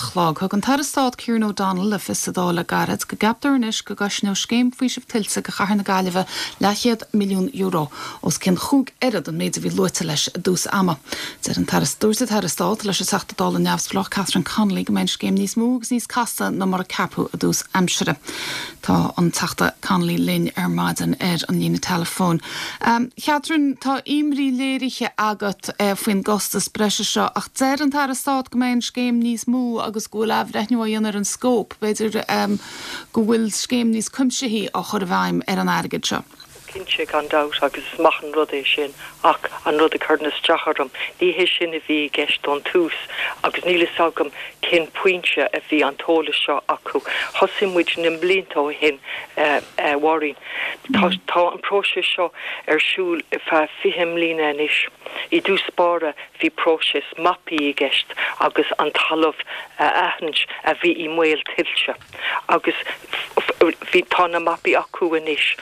chlog. Thug an tAire Stáit Kieran O'Donnell le fios sa Dáil le gairid go gceaptar anois go gcosnódh scéim faoisimh tuilte do chathair na Gaillimhe leathchéad milliún euro, os cionn chúig oiread an méid a bhí luaite leis i dtús ama. Deir an tAire Dúirt an tAire Stáit leis an Teachta Dála neamhspleách Catherine Connolly go mbeidh an scéim níos mó agus níos casta ná mar a ceapadh i dtús aimsire. Tá an Teachta Connolly linn ar maidin ar an líne teileafóin. Catherine, tá imní léirithe agat faoin gcostas breise seo ach deir an tAire Stáit go mbeidh an scéim níos mó agus go bhfuil athbhreithniú á dhéanamh ar an scóip. B'fhéidir go bhfuil scéim níos cuimsithí á chur i bhfeidhm ar an airgead seo. Cinnte, gan dabht, agus is maith an rud é sin, ach an rud a chuireann isteach orm, ní hé sin a bhí i gceist ón tús agus níl fhios agam cén pointe a bhí an t-eolas seo acu. Thosaigh muid na blianta ó shin, a Mháirín. Tá, tá an próiseas seo ar siúl ar feadh 20 mbliana anois. I dtús báire bhí próiseas mapaí i gceist agus an talamh a aithint a bhí i mbaol tuilte. agus bhí, tá na mapaí acu anois.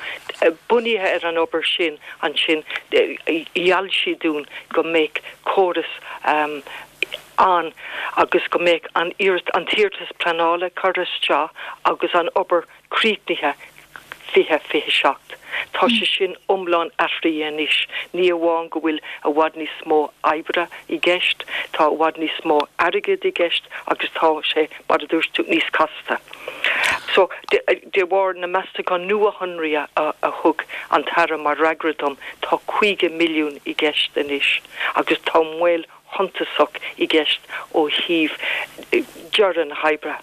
Bunaithe ar an obair sin ansin gheall siad dúinn go mbeadh córas ann agus go mbeadh an an t-iarratas pleanála curtha isteach agus an obair críochnaithe 2027. Tá sé sin iomlán athraithe anois. Ní amháin go bhfuil i bhfad níos mó oibre i gceist, tá i bhfad níos mó airgid i gceist agus tá sé, mar a dúirt tú, níos casta. So, de bharr na meastachán nuashonraithe a thug an tAire mar fhreagra dom, tá 50 milliún i gceist anois agus tá moill shuntasach i gceist ó thaobh deireadh na hoibre.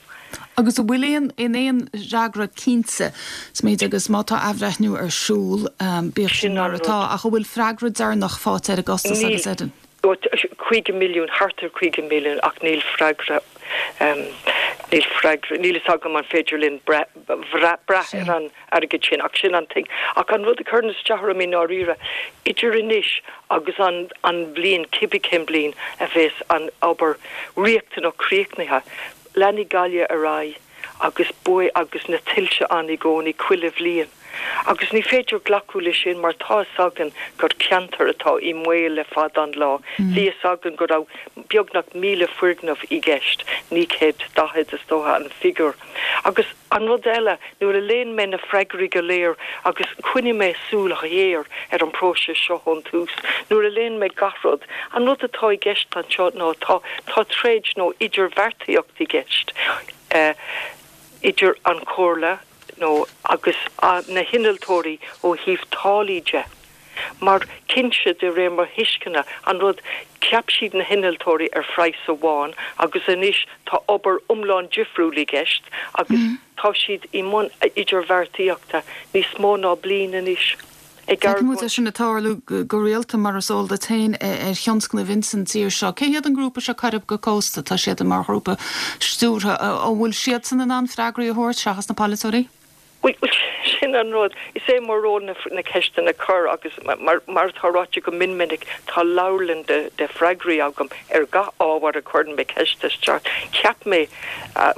Agus an bhfuil aon in aon fhreagra cinnte sa méid agus má tá athbhreithniú ar siúl, bíodh sin mar atá, ach an bhfuil freagra deireanach faighte ar an gcostas agus ar an. Níl. 50 milliún, thart ar 50 milliún ach níl freagra, níl freagra, níl fhios agam an féidir linn brath ar an airgead sin ach sin an thing. Ach an rud a chuireann isteach orm i ndáiríre, idir anois agus an an bhliain, cibé cén bliain a bheas an obair riachtanach críochnaithe, leanfaidh Gaillimh ar aghaidh agus baol agus na tuilte ann i gcónaí chuile bhliain. Agus ní féidir glacadh le sin mar tá fhios againn gur ceantar atá i mbaol le fada an lá. Bhí fhios againn go raibh beagnach 1,000 foirgneamh i gceist, 940 is dócha an figiúr. Agus an rud eile, nuair a léann mé na freagraí go léir, agus choinnigh mé súil ghéar ar an bpróiseas seo ón tús, nuair a léann mé gach rud, an rud atá i gceist anseo ná tá, tá troid nó idirbheartaíocht i gceist idir an Chomhairle nó agus na hinnealtóirí ó thaobh táillí de. Mar, cinnte, de réir mo thuisceana, an rud, cheap siad na hinnealtóirí ar phraghas amháin agus anois tá obair iomlán difriúil i gceist agus tá siad i mbun idirbheartaíochta níos mó ná bliain anois. Ag Feicimid é argóint. sin ag tarlú go rialta, mar is eol duit féin, ar thionscnaimh ins an tír seo. Cé hiad an grúpa seo Coirib go Cósta? Tá siad mar ghrúpa stiúrtha. An bhfuil siadsan in ann freagraí a thabhairt seachas na polaiteoirí? Bhuel, sin an rud. Is é mo ról na ceisteanna a chur agus mar atá ráite go mion minic, tá leabharlann de freagraí agam ar gach ábhar a chuireann mé ceist isteach. Cheap mé,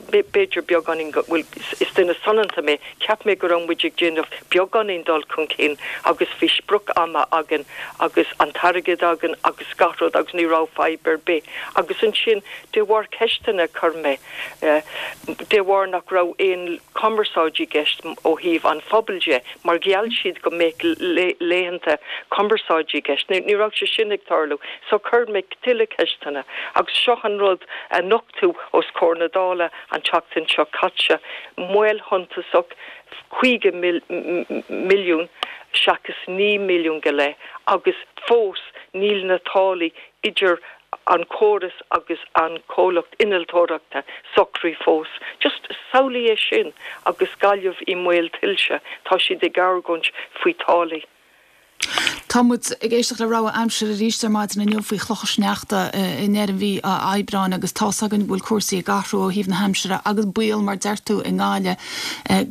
b'fhéidir beagáinín, bhuel, is duine soineanta mé, cheap mé go raibh muid ag déanamh beagáinín dul chun cinn agus bhí sprioc ama againn agus an t-airgead againn agus gach rud agus ní raibh fadhb ar bith. Agus ansin, de bharr ceisteanna a chuir mé, de bharr nach raibh aon chumarsáid i gceist ó thaobh an phobail de, mar gheall siad go mbeadh laethanta cumarsáide i gceist. Ní raibh sé sin ag tarlú. So chuir mé tuilleadh ceisteanna agus seo an rud a nochtadh os comhair na Dála an tseachtain seo caite, moill shuntasach, 50 milliún seachas 9 milliún go leith agus fós níl na táillí idir an córas agus an comhlacht innealtóireachta socraithe fós. Just samhlaigh é sin agus Gaillimh i mbaol tuilte, tá siad ag argóint faoi táillí. Tá muid ag éisteacht le rabhadh aimsire arís ar maidin inniu faoi chlocha sneachta i ndeireadh mhí Aibreáin agus tá's againn go bhfuil cúrsaí ag athrú ó thaobh na haimsire agus baol mar deir tú i nGaillimh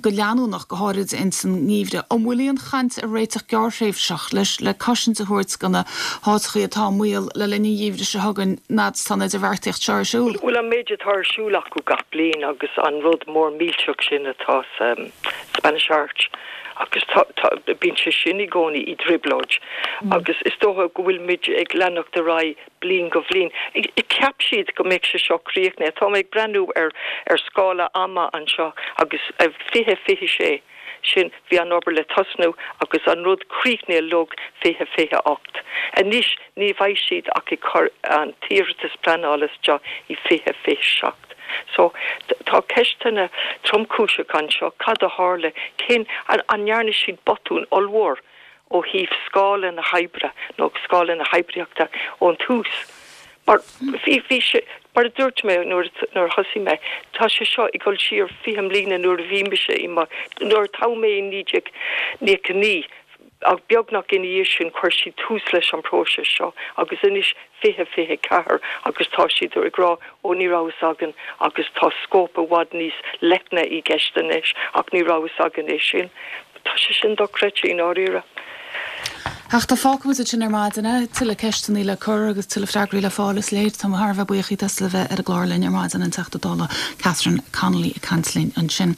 go leanúnach, go háirid ins an ngeimhreadh. An bhfuil aon chaint ar réiteach gearrthréimhseach leis le cosaint a thabhairt do na háiteachaí atá i mbaol le linn an gheimhridh seo chugainn fhad is tá an idirbheartaíocht seo ar siúl? Bhuel, an méid atá ar siúl acu gach bliain agus an rud mór millteach sin atá sa Spanish Arch. Agus tá, tá, bíonn sé sin i gcónaí i dtrioblóid. Agus is dócha go bhfuil muid ag leanacht ar aghaidh bliain go bhliain. Cheap siad go mbeadh sé seo críochnaithe. Tá mé ag breathnú ar, ar scála ama anseo agus 2026, sin, bhí an obair le tosnú agus an rud críochnaithe uilig 2028. Anois ní bheidh siad ach ag cur an t-iarratas pleanála isteach i 2027. So, tá ceisteanna tromchúiseacha anseo, cad a tharla, cén, an ndearna siad botún ollmhór ó thaobh scála na hoibre nó scála na hoibríochta ón tús? Mar bhí, bhí sé, mar a dúirt mé nuair, nuair a thosaigh mé, tá sé seo ag dul siar 20 mbliana nuair a bhí mise i mo, nuair a toghadh mé i 1999, Ach beagnach ina dhiaidh sin chuir siad tús leis an bpróiseas seo agus anois 2024 agus tá siad ag rá ó ní raibh fhios againn agus tá scóip i bhfad níos leithne i gceist anois ach ní raibh fhios againn é sin. Tá sé sin dochreidte i ndáiríre. Ach tá fágfaimid ansin ar maidin é. Tuilleadh ceisteanna le cur agus tuilleadh freagraí le fáil is léir. Tá mé thar a bheith buíoch díot as a bheith ar an gclár linn ar maidin, an Teachta Dála Catherine Connolly ag caint linn ansin.